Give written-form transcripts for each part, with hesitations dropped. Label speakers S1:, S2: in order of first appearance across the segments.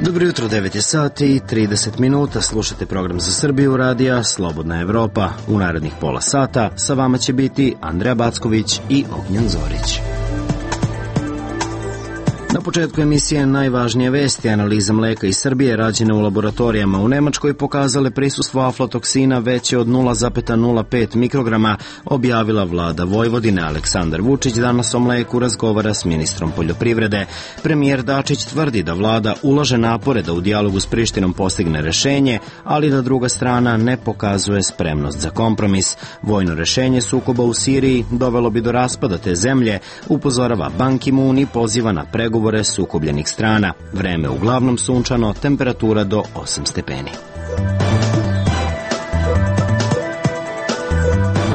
S1: Dobro jutro, 9 je sati i 30 minuta, slušate program za Srbiju radija Slobodna Evropa. U narednih pola sata sa vama će biti Andreja Backović i Ognjen Zorić. Na početku emisije najvažnije vesti. Analiza mleka iz Srbije rađene u laboratorijama u Nemačkoj pokazale prisustvo aflatoksina veće od 0,05 mikrograma, objavila vlada Vojvodine. Aleksandar Vučić danas o mleku razgovara s ministrom poljoprivrede. Premijer Dačić tvrdi da vlada ulaže napore da u dijalogu s Prištinom postigne rešenje, ali da druga strana ne pokazuje spremnost za kompromis. Vojno rešenje sukoba u Siriji dovelo bi do raspada te zemlje, upozorava Ban Ki-moon i poziva na pregovore sukobljenih strana. Vreme uglavnom sunčano, temperatura do 8 stepeni.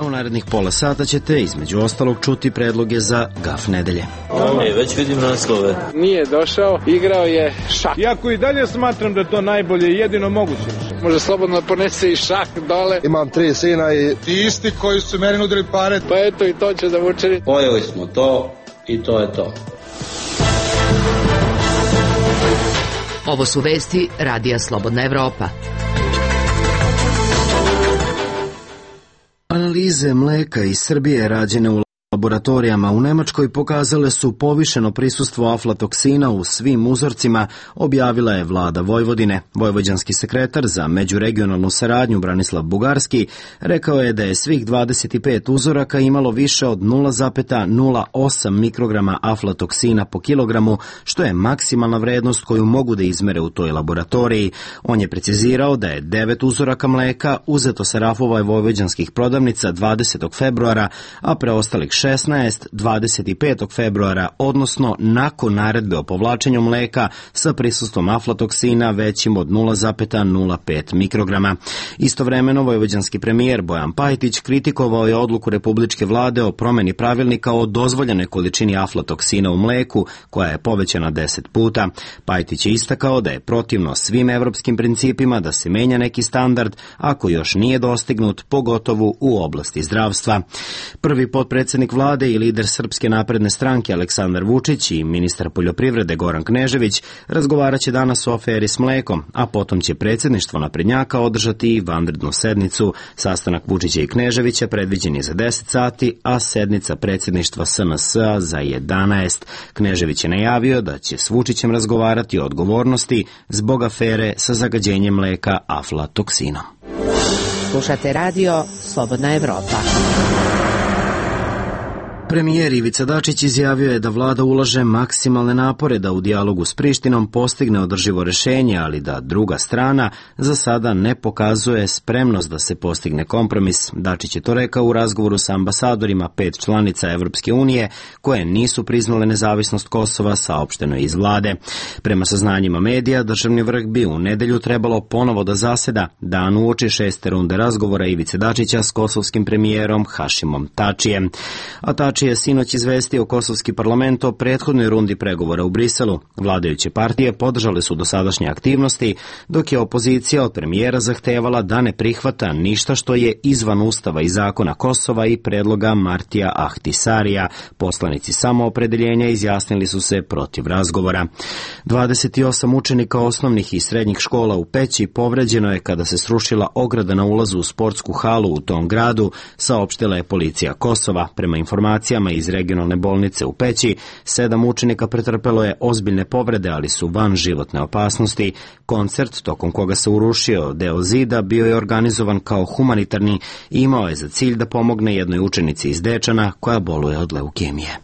S1: U narednih pola sata ćete između ostalog čuti predloge za gaf nedelje.
S2: Već vidim naslove.
S3: Nije došao, igrao je šah.
S4: Iako i dalje smatram da je to najbolje i jedino moguće.
S3: Može slobodno ponese i šah dole.
S5: Imam 3 sina i
S6: ti isti koji su meni nudili pare.
S3: Pa eto i to će da vučeri.
S2: Pojeli smo to i to je to.
S7: Ovo su vesti radija Slobodna Evropa.
S1: Analize mleka iz Srbije rađene u laboratorijama u Nemačkoj pokazale su povišeno prisustvo aflatoksina u svim uzorcima, objavila je vlada Vojvodine. Vojvođanski sekretar za međuregionalnu saradnju Branislav Bugarski rekao je da je svih 25 uzoraka imalo više od 0,08 mikrograma aflatoksina po kilogramu, što je maksimalna vrednost koju mogu da izmere u toj laboratoriji. On je precizirao da je 9 uzoraka mleka uzeto sa rafova vojvođanskih prodavnica 20. februara, a preostalih 16. 25. februara, odnosno nakon naredbe o povlačenju mleka sa prisustvom aflatoksina većim od 0,05 mikrograma. Istovremeno, vojvođanski premijer Bojan Pajtić kritikovao je odluku Republičke vlade o promeni pravilnika o dozvoljenoj količini aflatoksina u mleku, koja je povećana 10 puta. Pajtić je istakao da je protivno svim evropskim principima da se menja neki standard ako još nije dostignut, pogotovo u oblasti zdravstva. Prvi potpredsednik vlade i lider Srpske napredne stranke Aleksandar Vučić i ministar poljoprivrede Goran Knežević razgovaraće danas o aferi s mlekom, a potom će predsjedništvo naprednjaka održati i vanrednu sednicu. Sastanak Vučića i Kneževića predviđen je za 10 sati, a sednica predsjedništva SNS-a za 11. Knežević je najavio da će s Vučićem razgovarati o odgovornosti zbog afere sa zagađenjem mleka aflatoksinom.
S7: Slušate radio Slobodna Evropa.
S1: Premijer Ivica Dačić izjavio je da vlada ulaže maksimalne napore da u dijalogu s Prištinom postigne održivo rešenje, ali da druga strana za sada ne pokazuje spremnost da se postigne kompromis. Dačić je to rekao u razgovoru sa ambasadorima 5 članica Evropske unije koje nisu priznale nezavisnost Kosova, saopšteno iz vlade. Prema saznanjima medija, državni vrh bi u nedelju trebalo ponovo da zaseda, dan uoči 6. runde razgovora Ivice Dačića s kosovskim premijerom Hašimom Tačijem. A Tači je sinoć izvestio kosovski parlament o prethodnoj rundi pregovora u Briselu. Vladajuće partije podržale su dosadašnje aktivnosti, dok je opozicija od premijera zahtevala da ne prihvata ništa što je izvan ustava i zakona Kosova i predloga Martija Ahtisarija. Poslanici samoopredeljenja izjasnili su se protiv razgovora. 28 učenika osnovnih i srednjih škola u Peći povređeno je kada se srušila ograda na ulazu u sportsku halu u tom gradu, saopštila je policija Kosova. Prema informacijama iz regionalne bolnice u Peći, 7 učenika pretrpelo je ozbiljne povrede, ali su van životne opasnosti. Koncert, tokom koga se urušio deo zida, bio je organizovan kao humanitarni i imao je za cilj da pomogne jednoj učenici iz Dečana koja boluje od leukemije.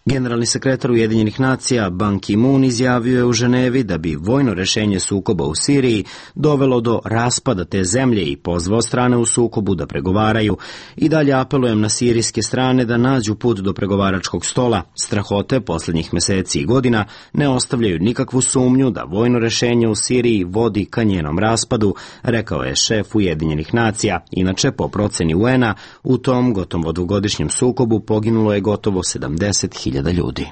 S1: Generalni sekretar Ujedinjenih nacija Ban Ki-moon izjavio je u Ženevi da bi vojno rešenje sukoba u Siriji dovelo do raspada te zemlje i pozvao strane u sukobu da pregovaraju. I dalje apelujem na sirijske strane da nađu put do pregovaračkog stola. Strahote posljednjih meseci i godina ne ostavljaju nikakvu sumnju da vojno rešenje u Siriji vodi ka njenom raspadu, rekao je šef Ujedinjenih nacija. Inače, po proceni UN-a, u tom gotovo dvogodišnjem sukobu poginulo je gotovo 70.000 ljudi.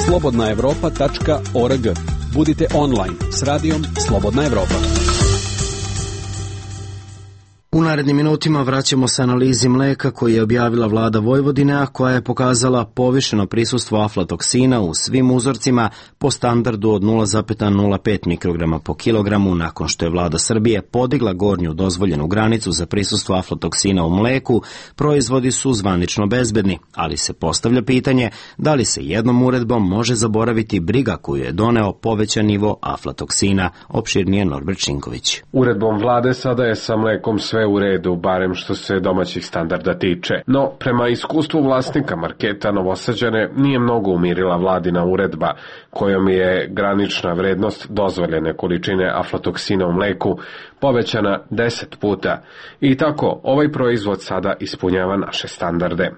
S8: slobodnaevropa.org. Budite online s radijom Slobodna Evropa.
S1: U U narednim minutima vraćamo se analizi mleka koji je objavila vlada Vojvodine, a koja je pokazala povišeno prisustvo aflatoksina u svim uzorcima po standardu od 0,05 mikrograma po kilogramu nakon što je vlada Srbije podigla gornju dozvoljenu granicu za prisustvo aflatoksina u mleku. Proizvodi su zvanično bezbedni, ali se postavlja pitanje da li se jednom uredbom može zaboraviti briga koju je doneo povećan nivo aflatoksina. Opširnije Norbert Šinković.
S5: Uredbom vlade sada je sa mlekom sve u redu, barem što se domaćih standarda tiče. No, prema iskustvu vlasnika marketa Novosađane nije mnogo umirila vladina uredba, kojom je granična vrednost dozvoljene količine aflatoksina u mleku povećana 10 puta. I tako, ovaj proizvod sada ispunjava naše standarde.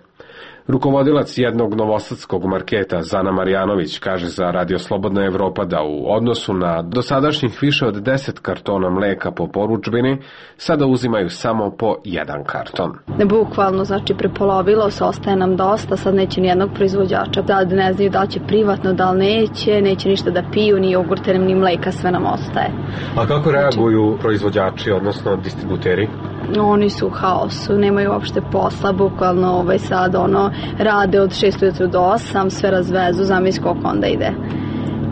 S5: Rukovodilac jednog novosadskog marketa Zana Marjanović kaže za Radio Slobodna Evropa da u odnosu na dosadašnjih više od 10 kartona mleka po porudžbini sada uzimaju samo po jedan karton.
S9: Bukvalno, znači prepolovilo se, ostaje nam dosta, sad neće nijednog proizvođača, da ne znaju da će privatno, da li neće ništa da piju, ni jogurte, ni mleka, sve nam ostaje.
S5: A kako reaguju proizvođači, odnosno distributeri?
S9: Oni su u haosu, nemaju uopšte posla, bukvalno sad rade od 6 ujutru do 8, sve razvezu, zamisli koliko onda ide.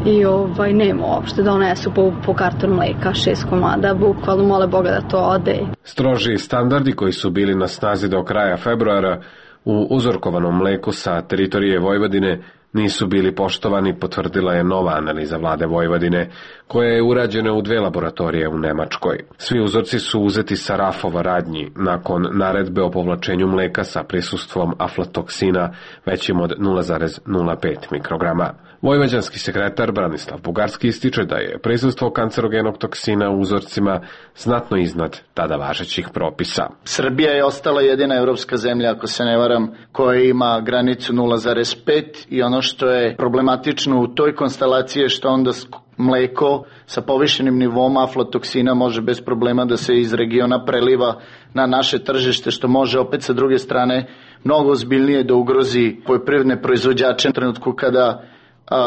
S9: I nema uopšte, donesu po karton mleka, 6 komada, bukvalno mole Boga da to ode.
S5: Stroži standardi koji su bili na snazi do kraja februara u uzorkovanom mleku sa teritorije Vojvodine nisu bili poštovani, potvrdila je nova analiza vlade Vojvodine, koja je urađena u 2 laboratorije u Nemačkoj. Svi uzorci su uzeti sa rafova radnji nakon naredbe o povlačenju mleka sa prisustvom aflatoksina većim od 0,05 mikrograma. Vojvođanski sekretar Branislav Bugarski ističe da je prisustvo kancerogenog toksina u uzorcima znatno iznad tada važećih propisa.
S10: Srbija je ostala jedina evropska zemlja, ako se ne varam, koja ima granicu 0,5 i ono što je problematično u toj konstelaciji je što onda mleko sa povišenim nivom aflatoksina može bez problema da se iz regiona preliva na naše tržište, što može opet sa druge strane mnogo ozbiljnije da ugrozi poljoprivredne proizvođače u trenutku kada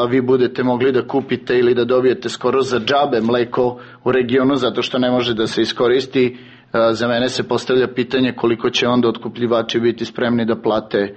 S10: vi budete mogli da kupite ili da dobijete skoro za džabe mleko u regionu zato što ne može da se iskoristi. Za mene se postavlja pitanje koliko će onda otkupljivači biti spremni da plate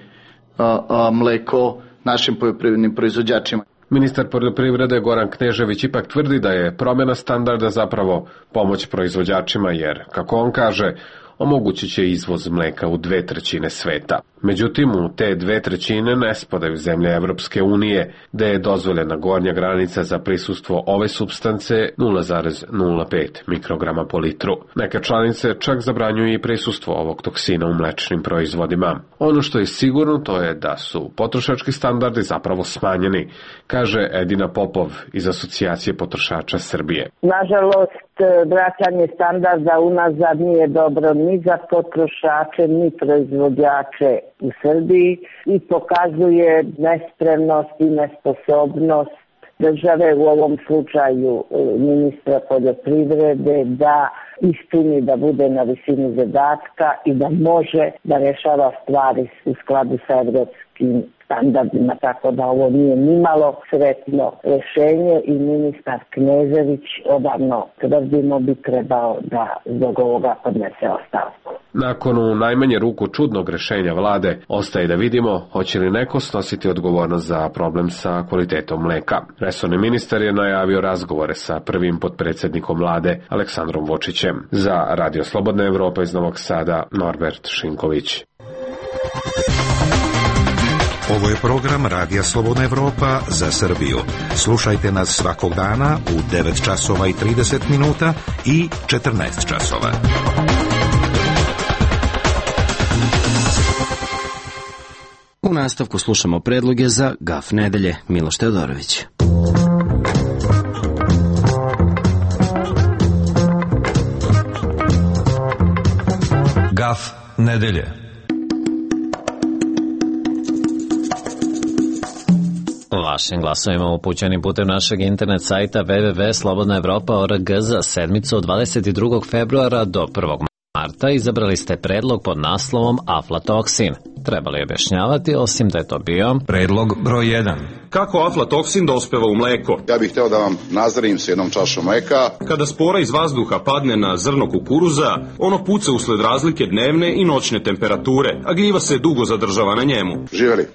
S10: mleko našim poljoprivrednim proizvođačima.
S5: Ministar poljoprivrede Goran Knežević ipak tvrdi da je promjena standarda zapravo pomoć proizvođačima jer, kako on kaže, omogućit će izvoz mleka u 2/3 sveta. Međutim, u te 2/3 ne spadaju zemlje Evropske unije, gde je dozvoljena gornja granica za prisustvo ove supstance 0,05 mikrograma po litru. Neke članice čak zabranjuju i prisustvo ovog toksina u mlečnim proizvodima. Ono što je sigurno to je da su potrošački standardi zapravo smanjeni, kaže Edina Popov iz Asocijacije potrošača Srbije.
S11: Nažalost, vraćanje standarda unazad nije dobro ni za potrošače, ni proizvođače u Srbiji i pokazuje nespremnost i nesposobnost države, u ovom slučaju ministra poljoprivrede, da ispuni, da bude na visini zadatka i da može da rešava stvari u skladu sa evropskim standardima, tako da ovo nije nimalo sretno rešenje i ministar Knežević odavno tvrdimo bi trebao da zbog ovoga podnese ostavku.
S5: Nakon u najmanje ruku čudnog rešenja vlade, ostaje da vidimo hoće li neko snositi odgovornost za problem sa kvalitetom mleka. Resorni ministar je najavio razgovore sa prvim potpredsjednikom vlade Aleksandrom Vučićem. Za Radio Slobodna Evropa iz Novog Sada, Norbert Šinković.
S12: Ovo je program Radija Slobodna Evropa za Srbiju. Slušajte nas svakog dana u 9 časova i 30 minuta i 14 časova.
S1: U nastavku slušamo predloge za GAF nedelje. Miloš Teodorović.
S13: GAF nedelje. Vašim glasovima upućenim putem našeg internet sajta www.slobodnaevropa.org za sedmicu od 22. februara do 1. marta izabrali ste predlog pod naslovom aflatoksin. trebali objašnjavati, osim da je to bio
S14: predlog broj 1.
S15: Kako aflatoksin dospeva u mleko?
S16: Ja bih hteo da vam nazdravim s jednom čašom mleka.
S15: Kada spora iz vazduha padne na zrno kukuruza, ono puca usled razlike dnevne i noćne temperature, a gljiva se dugo zadržava na njemu.
S16: Živeli.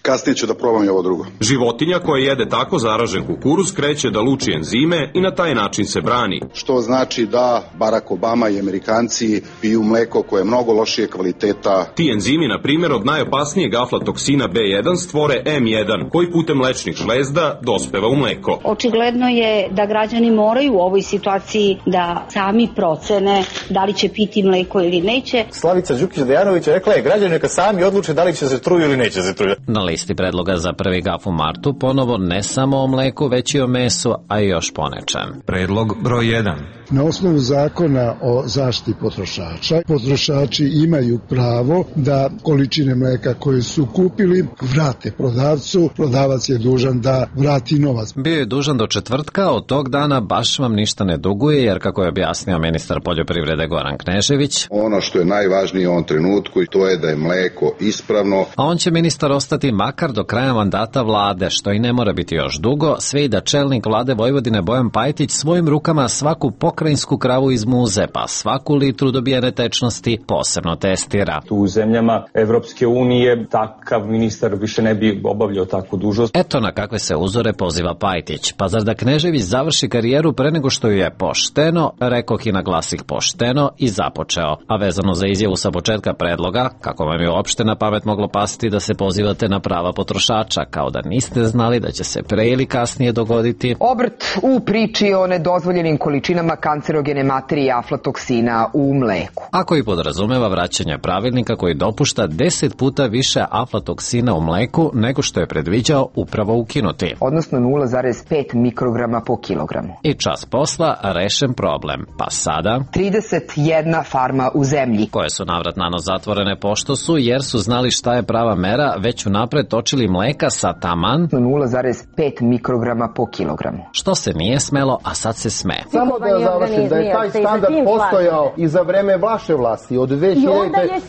S16: Kasnije ću da probam i ovo drugo.
S15: Životinja koja jede tako zaražen kukuruz kreće da luči enzime i na taj način se brani.
S16: Što znači da Barack Obama i Amerikanci piju mleko koje je mnogo lošije kvaliteta.
S15: Ti enzimi, na primjer, od najopasnijeg aflatoksina B1 stvore M1, koji putem mlečnih žlezda dospeva u mleko.
S17: Očigledno je da građani moraju u ovoj situaciji da sami procene da li će piti mleko ili neće.
S18: Slavica Đukić-Dejanović rekla je građani neka sami odluče da li će se truju ili neće se truju.
S13: Na listi predloga za prvi gaf u martu ponovo ne samo o mleku, već i o mesu, a i još ponečem.
S14: Predlog broj 1.
S19: Na osnovu zakona o zaštiti potrošača, potrošači imaju pravo da količine mleka koje su kupili vrate prodavcu, prodavac je dužan da vrati novac.
S13: Bio je dužan do četvrtka, od tog dana baš vam ništa ne duguje, jer kako je objasnio ministar poljoprivrede Goran Knežević,
S16: ono što je najvažnije u ovom trenutku, to je da je mleko ispravno.
S13: A on će ministar ostati makar do kraja mandata vlade, što i ne mora biti još dugo, sve i da čelnik vlade Vojvodine Bojan Pajtić svojim rukama svaku pokrajinsku kravu iz muze, pa svaku litru dobijene tečnosti posebno testira.
S20: U zemljama Evropske unije takav ministar više ne bi obavljao takvu dužnost.
S13: Eto na kakve se uzore poziva Pajtić. Pa zar da Knežević završi karijeru pre nego što ju je pošteno, rekoh i naglasih pošteno, i započeo. A vezano za izjavu sa početka predloga, kako vam je uopšte na pamet moglo pasti da se pozivate na prava potrošača, kao da niste znali da će se pre ili kasnije dogoditi
S21: obrt u priči o nedozvoljenim količinama kancerogene materije aflatoksina u mleku.
S13: Ako i podrazumeva vraćanje pravilnika koji dopušta 10 puta više aflatoksina u mleku nego što je predviđao upravo ukinuti.
S21: Odnosno 0,5 mikrograma po kilogramu.
S13: I čas posla rešen problem. Pa sada
S21: 31 farma u zemlji,
S13: koje su navrat nanos zatvorene pošto su, jer su znali šta je prava mera, već unapred točili mleka sa taman
S21: 0,5 mikrograma po kilogramu.
S13: Što se nije smelo, a sad se sme.
S22: Samo da završim, da je taj standard postojao i za vreme vaše vlasti od 2000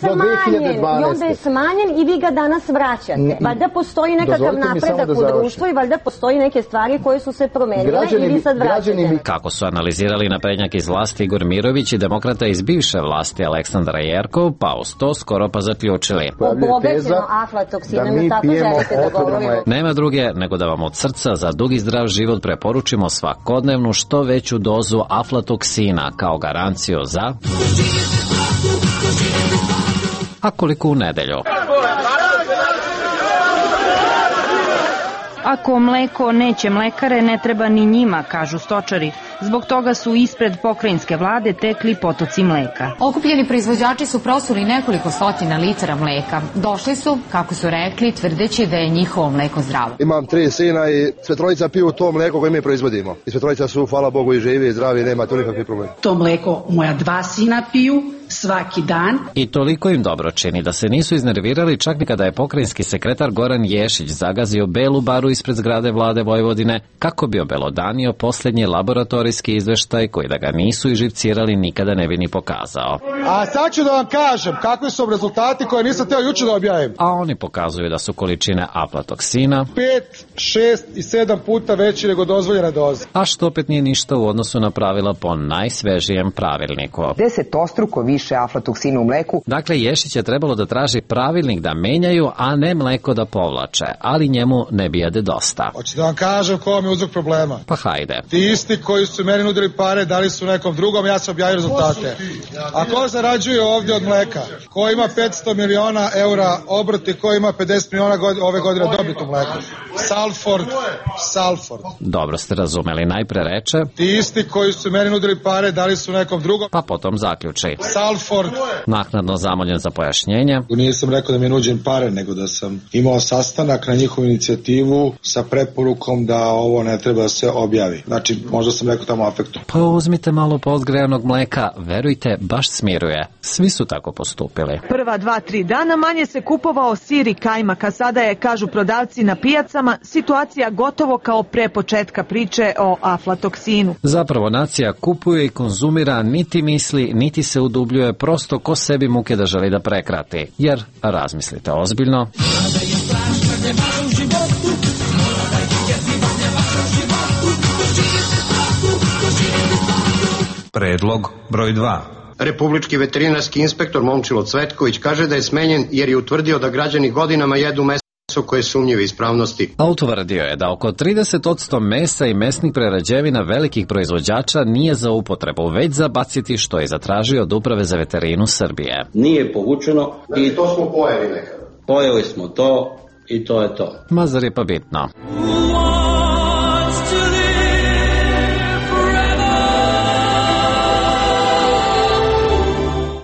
S22: do 2012.
S23: I onda je smanjen i vi ga danas vraćate. Valjda postoji nekakav napredak u društvu i valjda postoji neke stvari koje su se promenile i vi sad vraćate.
S13: Kako su analizirali naprednjak iz vlasti Igor Mirović i demokrata iz bivše vlasti Aleksandar Jerkov, pa uz to skoro pa zaključili.
S23: Obogaćeno aflatoksinom, tako želite da govorimo.
S13: Nema druge nego da vam od srca za dug i zdrav život preporučimo svakodnevnu što veću dozu aflatoksina kao garanciju za... A koliko u nedelju?
S24: Ako mleko neće mlekare, ne treba ni njima, kažu stočari. Zbog toga su ispred pokrajinske vlade tekli potoci mleka.
S25: Okupljeni proizvođači su prosuli nekoliko stotina litara mleka. Došli su, kako su rekli, tvrdeći da je njihovo mleko zdravo.
S26: Imam 3 sina i sve trojica piju to mleko koje mi proizvodimo. I sve trojica su, hvala Bogu, i živi i zdravi, nema tu nikakvih problema.
S27: To mleko moja 2 sina piju svaki dan.
S13: I toliko im dobro čini da se nisu iznervirali čak ni kada je pokrajinski sekretar Goran Ješić zagazio belu baru ispred zgrade vlade Vojvodine kako bi obelodanio posljednji laboratorijski izveštaj koji da ga nisu iživcirali nikada ne bi ni pokazao.
S6: A sad ću da vam kažem kakvi su rezultati koje nisam teo juče da objavim.
S13: A oni pokazuju da su količine aflatoksina
S6: 5, 6 i 7 puta veći nego dozvoljena doza.
S13: A što opet nije ništa u odnosu na pravila po najsvežijem pravilniku.
S21: 10-struko više aflatoksina u mleku.
S13: Dakle, Ješić je trebalo da traži pravilnik da menjaju, a ne mleko da povlače, ali njemu ne bijede dosta.
S6: Hoću da vam kažem ko vam je uzrok problema.
S13: Pa hajde.
S6: Ti isti koji su meni nudili pare, dali su nekom drugom, ja sam objavio rezultate. A ko zarađuje ovdje od mleka? Ko ima 500 miliona eura obrti, ko ima 50 miliona ove godine dobit u mleku? Salford.
S13: Dobro ste razumeli, najpre reče.
S6: Ti isti koji su meni nudili pare, dali su nekom drugom.
S13: Pa potom zaključi.
S6: Salford.
S13: Naknadno zamoljen za pojašnjenje.
S6: Nisam rekao da mi je nuđen pare, nego da sam imao sastanak na njihovu inicijativu sa preporukom da ovo ne treba da se objavi. Znači, možda sam rekao tamo afektom.
S13: Pa uzmite malo podgrejanog mleka, verujte, baš smiruje. Svi su tako postupili.
S28: Prva 2-3 dana manje se kupovao sir i kajmak, a sada je, kažu prodavci na pijacama,
S2: situacija gotovo kao pre početka priče o aflatoksinu.
S13: Zapravo nacija kupuje i konzumira, niti misli, niti se udubljuje, prosto ko sebi muke da želi da prekrati. Jer, razmislite ozbiljno,
S14: Predlog broj 2.
S3: Republički veterinarski inspektor Momčilo Cvetković kaže da je smenjen jer je utvrdio da građani godinama jedu meso koje je sumnjive ispravnosti.
S13: A utvrdio je da oko 30% mesa i mesnih prerađevina velikih proizvođača nije za upotrebu, već za baciti, što je zatražio od Uprave za veterinu Srbije.
S4: Nije povučeno i
S3: to smo pojeli nekada.
S4: Pojeli smo to i to je to.
S13: Mazar je pa bitno.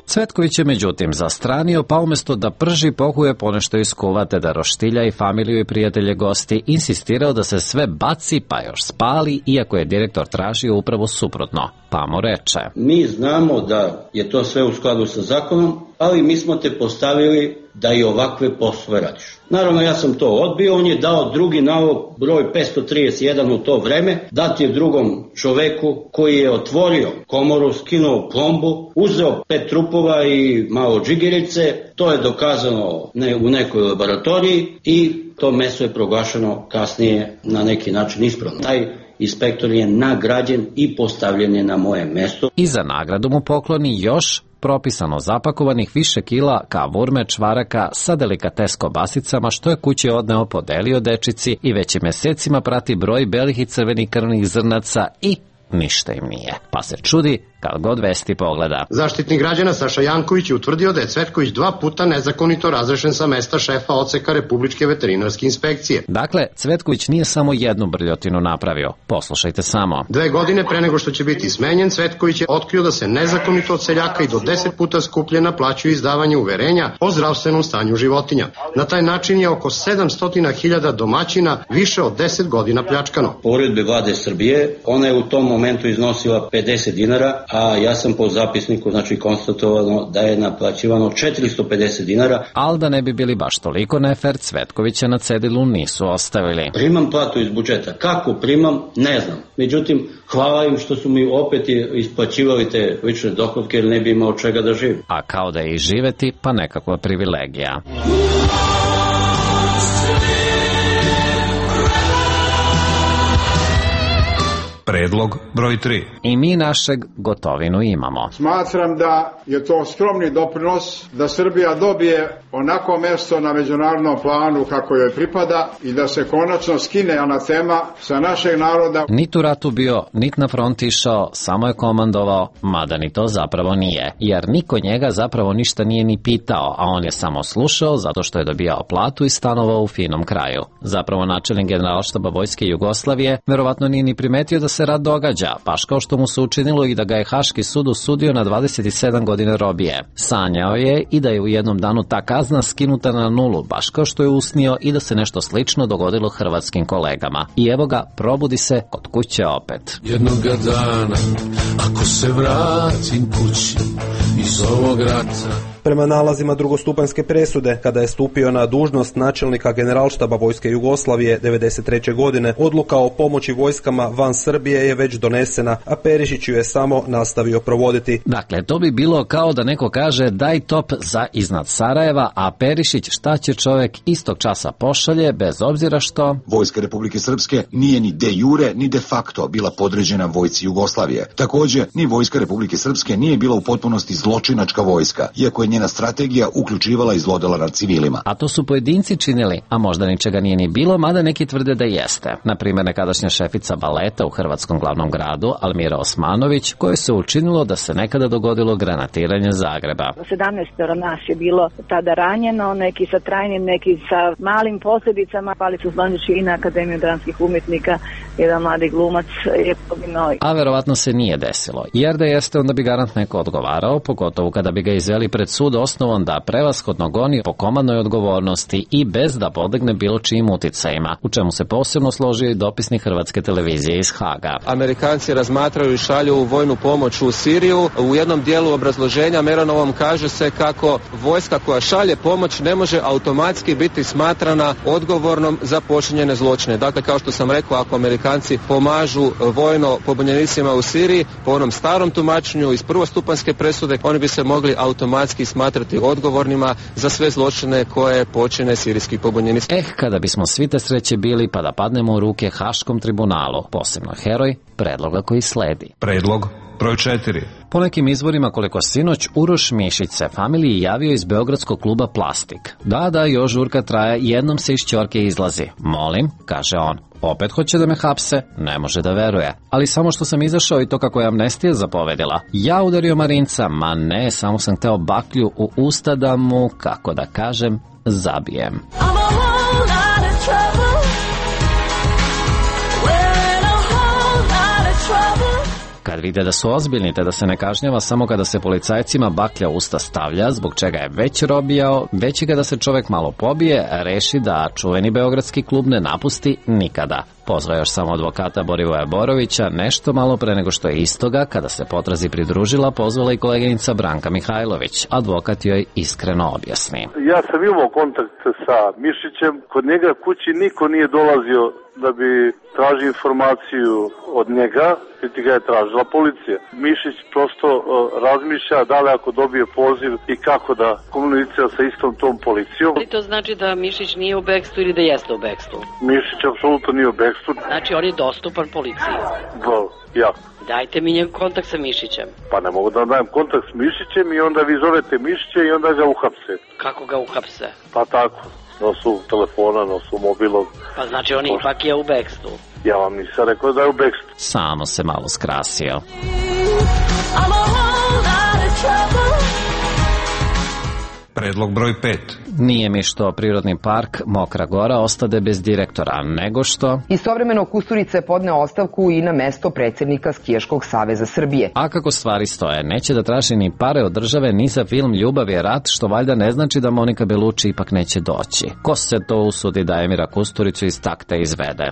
S13: Cvetković je međutim zastranio, pa umjesto da prži pohuje ponešto iskuva te da roštilja i familiju i prijatelje gosti, insistirao da se sve baci pa još spali, iako je direktor tražio upravo suprotno. Pa mu reče:
S4: mi znamo da je to sve u skladu sa zakonom, ali mi smo te postavili da i ovakve poslove radiš. Naravno, ja sam to odbio, on je dao drugi nalog, broj 531 u to vreme, dat je drugom čoveku koji je otvorio komoru, skinuo plombu, uzeo 5 trupova i malo džigerice, to je dokazano u nekoj laboratoriji i to meso je proglašeno kasnije na neki način ispravno. Taj inspektor je nagrađen i postavljen je na moje mesto.
S13: I za nagradu mu pokloni još propisano zapakovanih više kila kavurme, čvaraka sa delikates kobasicama, što je kući odneo, podelio dečici i već mesecima prati broj belih i crvenih krvnih zrnaca i ništa im nije. Pa se čudi kad god vesti pogleda.
S3: Zaštitnik građana Saša Janković je utvrdio da je Cvetković 2 puta nezakonito razrešen sa mesta šefa odseka Republičke veterinarske inspekcije.
S13: Dakle, Cvetković nije samo jednu brljotinu napravio. Poslušajte samo.
S3: 2 godine pre nego što će biti smenjen, Cvetković je otkrio da se nezakonito od seljaka i do 10 puta skuplje naplaćuju izdavanje uverenja o zdravstvenom stanju životinja. Na taj način je oko 700.000 domaćina više od 10 godina pljačkano.
S4: Po uredbi Vlade Srbije, ona je u tom momentu iznosila 50 dinara, a ja sam po zapisniku konstatovano da je naplaćivano 450 dinara.
S13: Ali da ne bi bili baš toliko nefer, Cvetkovića na cedilu nisu ostavili.
S4: Primam platu iz budžeta. Kako primam, ne znam. Međutim, hvala im što su mi opet isplaćivali te lične dohodke, jer ne bi imao čega da živim.
S13: A kao da je i živeti, pa nekakva privilegija.
S14: Predlog broj 3.
S13: I mi našeg Gotovinu imamo.
S7: Smatram da je to skromni doprinos da Srbija dobije onako mesto na međunarodnom planu kako joj pripada i da se konačno skine anatema sa našeg naroda.
S13: Nit u ratu bio, nit na front išao, samo je komandovao, mada ni to zapravo nije, jer niko njega zapravo ništa nije ni pitao, a on je samo slušao zato što je dobijao platu i stanovao u finom kraju. Zapravo načelnik Generalštaba Vojske Jugoslavije verovatno nije ni primetio da se rat događa, baš kao što mu se učinilo i da ga je Haški sud osudio na 27 godina robije. Sanjao je i da je u jednom danu ta kazna skinuta na nulu, baš kao što je usnio i da se nešto slično dogodilo hrvatskim kolegama. I evo ga, probudi se kod kuće opet.
S8: Jednoga dana, ako se vratim kući iz ovog rata.
S9: Prema nalazima drugostupanjske presude, kada je stupio na dužnost načelnika Generalštaba Vojske Jugoslavije 1993. godine, odluka o pomoći vojskama van Srbije je već donesena, a Perišić ju je samo nastavio provoditi.
S13: Dakle, to bi bilo kao da neko kaže daj top za iznad Sarajeva, a Perišić šta će čovjek istog časa pošalje, bez obzira što
S10: Vojska Republike Srpske nije ni de jure ni de facto bila podređena vojsci Jugoslavije. Također, ni Vojska Republike Srpske nije bila u potpunosti zločinačka vojska, iako je njena strategija uključivala i zlodela nad civilima.
S13: A to su pojedinci činili, a možda ničega nije ni bilo, mada neki tvrde da jeste. Naprimjer, nekadašnja šefica baleta u hrvatskom glavnom gradu, Almira Osmanović, kojoj se učinilo da se nekada dogodilo granatiranje Zagreba.
S28: 17 nas je bilo tada ranjeno, neki sa trajnim, neki sa malim posljedicama, pali su zvaniči i na Akademiju dramskih umjetnika, jedan mladi glumac je poginuo.
S13: A verovatno se nije desilo, jer da jeste onda bi garant neko odgovarao, pogotovo kada bi ga izveli pred sud sud osnovan da prevashodno goni po komandnoj odgovornosti i bez da podlegne bilo čijim uticajima, u čemu se posebno složio i dopisnik Hrvatske televizije iz Haga.
S1: Amerikanci razmatraju i šalju vojnu pomoć u Siriju. U jednom dijelu obrazloženja Meranovom kaže se kako vojska koja šalje pomoć ne može automatski biti smatrana odgovornom za počinjene zločine. Dakle, kao što sam rekao, ako Amerikanci pomažu vojno pobunjenicima u Siriji, po onom starom tumačenju iz prvostupanjske presude, oni bi se mogli automatski smatrati odgovornima za sve zločine koje počine sirijski pobunjenici.
S13: Kada bismo svi te sreće bili pa da padnemo u ruke Haškom tribunalu, posebno heroj predloga koji sledi.
S14: Predlog broj 4.
S13: Po nekim izvorima, koliko sinoć, Uroš Mišić se familiji javio iz beogradskog kluba Plastik. Da, još žurka traje, jednom se iz ćorke izlazi. Molim, kaže on. Opet hoće da me hapse? Ne može da veruje. Ali samo što sam izašao i to kako je amnestija zapovedila. Ja udario Marinca, ma ne, samo sam hteo baklju u usta da mu, kako da kažem, zabijem. Kad vide da su ozbiljni te da se ne kažnjava samo kada se policajcima baklja usta stavlja, zbog čega je već robijao, već i kada se čovek malo pobije, reši da čuveni beogradski klub ne napusti nikada. Pozvao još samo advokata Borivoja Borovića, nešto malo pre nego što je istoga, kada se potrazi pridružila, pozvala i koleginica Branka Mihajlović. Advokat joj iskreno objasni.
S5: Ja sam imao kontakt sa Mišićem, kod njega kući niko nije dolazio da bi tražio informaciju od njega, niti ga je tražila policija. Mišić prosto razmišlja da li ako dobije poziv i kako da komunicira sa istom tom policijom.
S11: Ali to znači da Mišić nije u bekstvu ili da jeste u bekstvu?
S5: Mišić apsolutno nije u bekstvu.
S11: Znači on je dostupan policiji?
S5: Ja.
S11: Dajte mi njegov kontakt sa Mišićem.
S5: Pa ne mogu da dajem kontakt s Mišićem i onda vi zovete Mišića i onda ga uhapse.
S11: Kako ga uhapse?
S5: Pa tako. Nosu telefona, nosu mobilog.
S11: Pa znači on ipak je u bekstvu.
S5: Ja vam nisam rekao da je u bekstvu.
S13: Samo se malo skrasio.
S14: Predlog broj 5.
S13: Nije mi što prirodni park Mokra Gora ostade bez direktora, nego što...
S21: Istovremeno Kusturica je podneo ostavku i na mesto predsjednika Skijaškog saveza Srbije.
S13: A kako stvari stoje, neće da traži ni pare od države ni za film Ljubav je rat, što valjda ne znači da Monika Belucci ipak neće doći. Ko se to usudi da Emira Kusturicu iz takta izvede?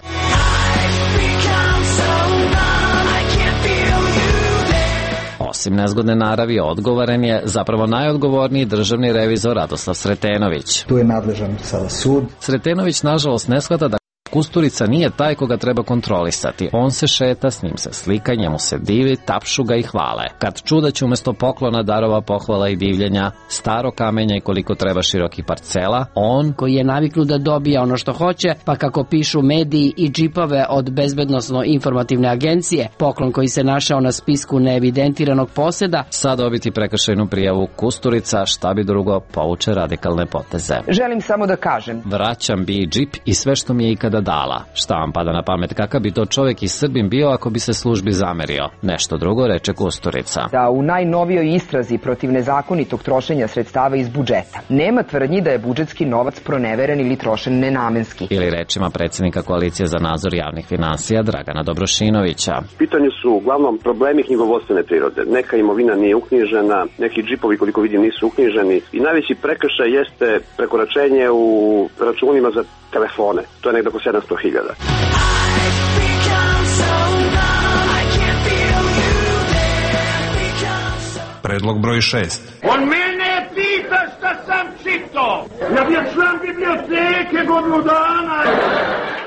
S13: Osim nezgodne naravi, odgovoren je zapravo najodgovorniji državni revizor Radoslav Sretenović.
S12: Tu je nadležan sada sud.
S13: Sretenović nažalost ne shvata da Kusturica nije taj koga treba kontrolisati. On se šeta, s njim se slika, njemu se divi, tapšu ga i hvale. Kad čuda će umjesto poklona darova, pohvala i divljenja, staro kamenja i koliko treba širokih parcela, on
S15: koji je naviknut da dobija ono što hoće, pa kako pišu mediji i džipove od bezbednosno-informativne agencije, poklon koji se našao na spisku neevidentiranog poseda,
S13: sad dobiti prekršajnu prijavu Kusturica, šta bi drugo, povuče radikalne poteze.
S21: Želim samo da kažem.
S13: Vraćam bi džip i sve što mi je ikada dala. Šta vam pada na pamet, kakav bi to čovjek i Srbin bio ako bi se službi zamerio? Nešto drugo, reče Kusturica.
S21: Da u najnovijoj istrazi protiv nezakonitog trošenja sredstava iz budžeta nema tvrdnji da je budžetski novac proneveren ili trošen nenamenski.
S13: Ili rečima predsjednika Koalicije za nadzor javnih finansija Dragana Dobrošinovića.
S17: Pitanje su uglavnom problemi knjigovodstvene prirode. Neka imovina nije uknjižena, neki džipovi koliko vidim nisu uknjiženi i najveći prekršaj jeste prekoračenje u računima za telefone. To je nekdo oko 700.000.
S14: Predlog broj 6.
S18: On mene pita šta sam čito. Ja bio član biblioteke godinu dana.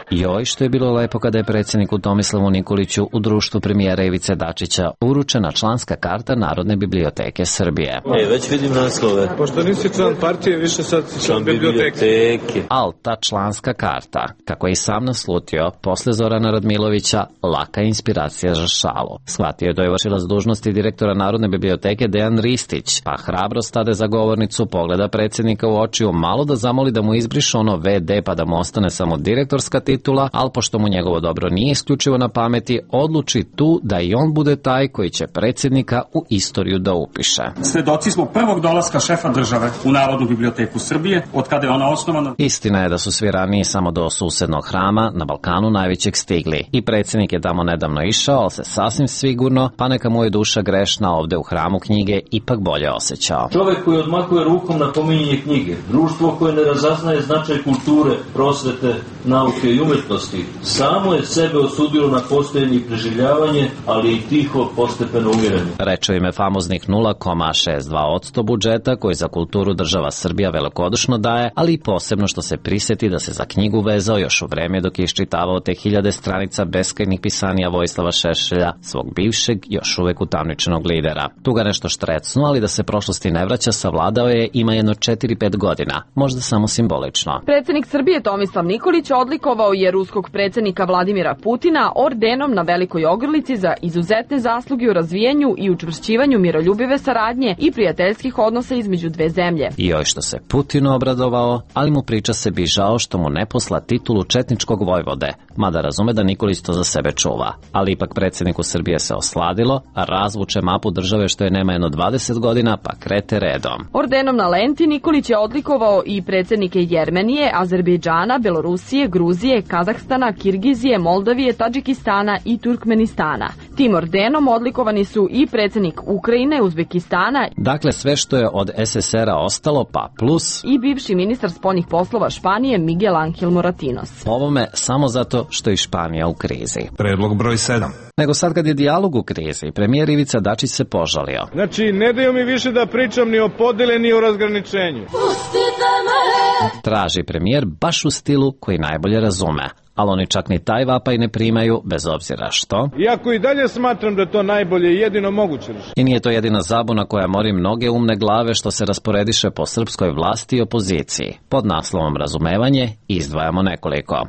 S13: Joj, što je bilo lepo kada je predsjedniku Tomislavu Nikoliću u društvu premijera Ivice Dačića uručena članska karta Narodne biblioteke Srbije.
S19: Već vidim naslove.
S6: Pošto nisi član partije, više sad si član biblioteke.
S13: Al ta članska karta, kako je i sam naslutio, posle Zorana Radmilovića, laka inspiracija za šalu. Shvatio je da je vršilac dužnosti direktora Narodne biblioteke Dejan Ristić, pa hrabro stade za govornicu, pogleda predsjednika u očiju, malo da zamoli da mu izbriše ono VD pa da mu ostane samo direktorska titula, titula, ali pošto mu njegovo dobro nije isključivo na pameti, odluči tu da i on bude taj koji će predsjednika u istoriju da upiše.
S12: Svedoci smo prvog dolaska šefa države u Narodnu biblioteku Srbije, od kada je ona osnovana.
S13: Istina je da su svi ranije samo do susednog hrama na Balkanu najvećeg stigli. I predsjednik je tamo nedavno išao, ali se sasvim sigurno, pa neka mu je duša grešna ovde u hramu knjige, ipak bolje osjećao.
S16: Čovjek koji odmakuje rukom na pominjanje knjige, društvo koje ne razaznaje značaj kulture, prosvete, nauke i umetnosti, samo je sebe osudilo na postojanje i preživljavanje, ali i tiho postepeno umiranje.
S13: Reče ime famoznih 0,62% budžeta koji za kulturu država Srbija velikodušno daje, ali i posebno što se prisjeti da se za knjigu vezao još u vreme dok je iščitavao te 1000 stranica beskrajnih pisanija Vojislava Šešelja, svog bivšeg, još uvek utamničenog lidera. Tu ga nešto štrecnu, ali da se prošlosti ne vraća, savladao je, ima jedno 4-5 godina, možda samo simbolično.
S19: Predsjednik Srbije Tomislav Nikolić odlikovao je ruskog predsjednika Vladimira Putina ordenom na Velikoj Ogrlici za izuzetne zasluge u razvijenju i učvršćivanju miroljubive saradnje i prijateljskih odnosa između dve zemlje.
S13: I joj što se Putinu obradovao, ali mu priča se bi žao što mu ne posla titulu četničkog vojvode, mada razume da Nikolić to za sebe čuva. Ali ipak predsjedniku Srbije se osladilo, a razvuče mapu države što je nema jedno 20 godina, pa krete redom.
S19: Ordenom na lenti Nikolić je odlikovao i predsjednike Jermenije, Azerbejdžana, Belorusije, Gruzije, Kazahstana, Kirgizije, Moldavije, Tadžikistana i Turkmenistana. Tim ordenom odlikovani su i predsjednik Ukrajine, Uzbekistana,
S13: dakle sve što je od SSR-a ostalo, pa plus
S19: i bivši ministar spoljnih poslova Španije Miguel Ángel Moratinos.
S13: Ovome samo zato što je Španija u krizi.
S14: Predlog broj 7.
S13: Nego sad kad je dijalog u krizi, premijer Ivica Dačić se požalio.
S20: Znači, ne daju mi više da pričam ni o podeli ni o razgraničenju.
S13: Traži premijer baš u stilu koji najbolje razume. Ali oni čak ni taj vapaj ne primaju, bez obzira što.
S20: Iako i dalje smatram da to najbolje i jedino moguće rešenje.
S13: I nije to jedina zabuna koja mori mnoge umne glave što se rasporediše po srpskoj vlasti i opoziciji. Pod naslovom razumevanje izdvajamo nekoliko.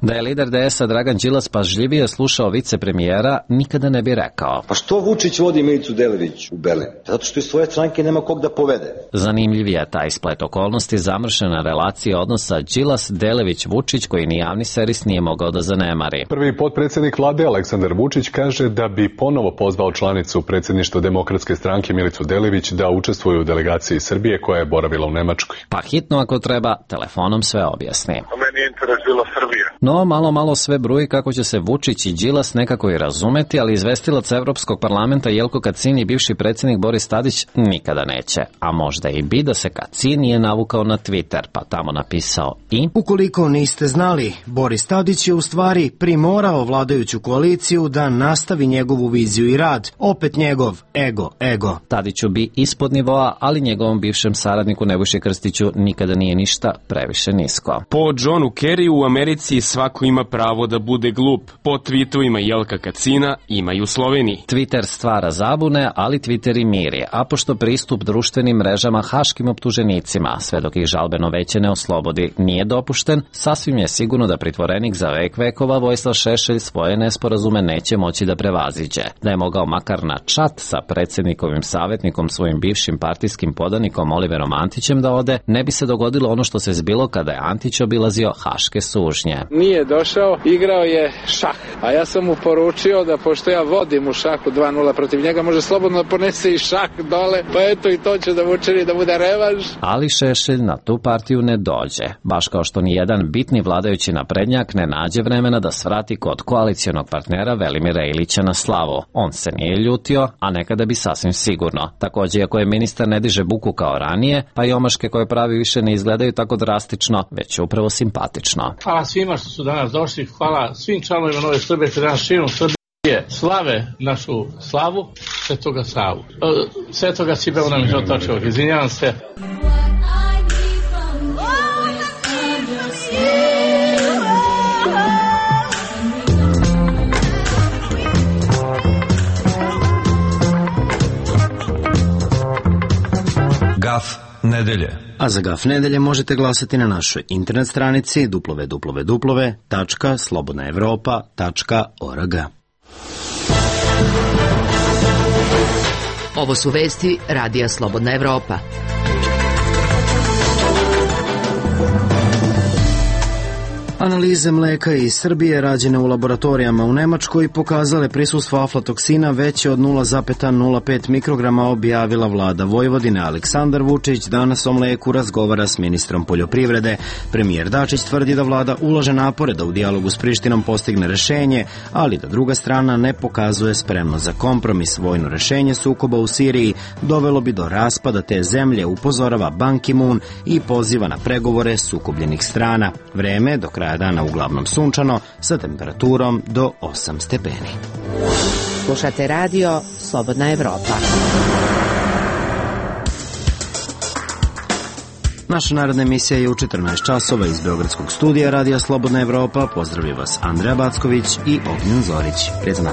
S13: Da je lider DS-a Dragan Đilas pažljivije slušao vicepremijera, nikada ne bi rekao.
S22: Pa što Vučić vodi Milicu Delević u Berlin? Zato što iz svoje stranke nema kog da povede.
S13: Zanimljiv je taj splet okolnosti, zamršena relacija odnosa Đilas-Delević-Vučić koji ni javni servis nije mogao da zanemari.
S23: Prvi potpredsjednik vlade Aleksandar Vučić kaže da bi ponovo pozvao članicu predsjedništva Demokratske stranke Milicu Delević da učestvuje u delegaciji Srbije koja je boravila u Nemačkoj.
S13: Pa hitno ako treba, telefonom sve objasni.
S24: Meni je interes bila Srbija.
S13: No, malo sve bruji kako će se Vučić i Đilas nekako i razumeti, ali izvestilac Evropskog parlamenta Jelko Kacin i bivši predsjednik Boris Tadić nikada neće. A možda i bi da se Kacin nije navukao na Twitter, pa tamo napisao i...
S25: Ukoliko niste znali, Boris Tadić je u stvari primorao vladajuću koaliciju da nastavi njegovu viziju i rad. Opet njegov ego.
S13: Tadiću bi ispod nivoa, ali njegovom bivšem saradniku Nebojši Krstiću nikada nije ništa previše nisko.
S29: Po Johnu Kerryu u Americi svako ima pravo da bude glup. Po tweetovima Jelka Kacina ima i u Sloveniji.
S13: Twitter stvara zabune, ali Twitter i miri, a pošto pristup društvenim mrežama haškim optuženicima, sve dok ih žalbeno veće ne oslobodi, nije dopušten, sasvim je sigurno da pritvorenik za vek vekova Vojislav Šešelj svoje nesporazume neće moći da prevaziđe. Da je mogao makar na čat sa predsjednikovim savjetnikom, svojim bivšim partijskim podanikom Oliverom Antićem da ode, ne bi se dogodilo ono što se zbilo kada je Antić obilazio haške sužnje.
S30: Nije došao, igrao je šah, a ja sam mu poručio da pošto ja vodim u šahu 2-0 protiv njega, može slobodno da ponese i šah dole, pa eto i to će da mu učini da bude revanš.
S13: Ali Šešelj na tu partiju ne dođe, baš kao što ni jedan bitni vladajući naprednjak ne nađe vremena da svrati kod koalicijonog partnera Velimira Ilića na slavu. On se nije ljutio, a nekada bi sasvim sigurno. Također, ako je ministar ne diže buku kao ranije, pa i omaške koje pravi više ne izgledaju tako drastično, već upravo simpatično.
S31: Hvala svima što su danas došli, hvala svim članovima Nove Srbije, te danas širom Srbije slave našu slavu, Svetoga Savu. Svetoga Sibela nam Žotačevog, izvinjavam se.
S14: Gaf nedelje.
S25: A za Gaf nedelje možete glasati na našoj internet stranici www.slobodnaevropa.org.
S1: Ovo su vesti Radija Slobodna Evropa.
S25: Analize mleka iz Srbije rađene u laboratorijama u Nemačkoj pokazale prisustvo aflatoksina veće od 0,05 mikrograma, objavila vlada Vojvodine. Aleksandar Vučić danas o mleku razgovara s ministrom poljoprivrede. Premijer Dačić tvrdi da vlada ulaže napore da u dijalogu s Prištinom postigne rešenje, ali da druga strana ne pokazuje spremnost za kompromis. Vojno rešenje sukoba u Siriji dovelo bi do raspada te zemlje, upozorava Ban Ki-moon i poziva na pregovore sukobljenih strana. Vreme do kraja dana uglavnom sunčano sa temperaturom do 8 stepeni.
S1: Slušate radio Slobodna Evropa.
S25: Naša narodna emisija je u 14 časova iz Beogradskog studija Radija Slobodna Evropa. Pozdravlja vas Andreja Backović i Ognjen Zorić. Prijatno.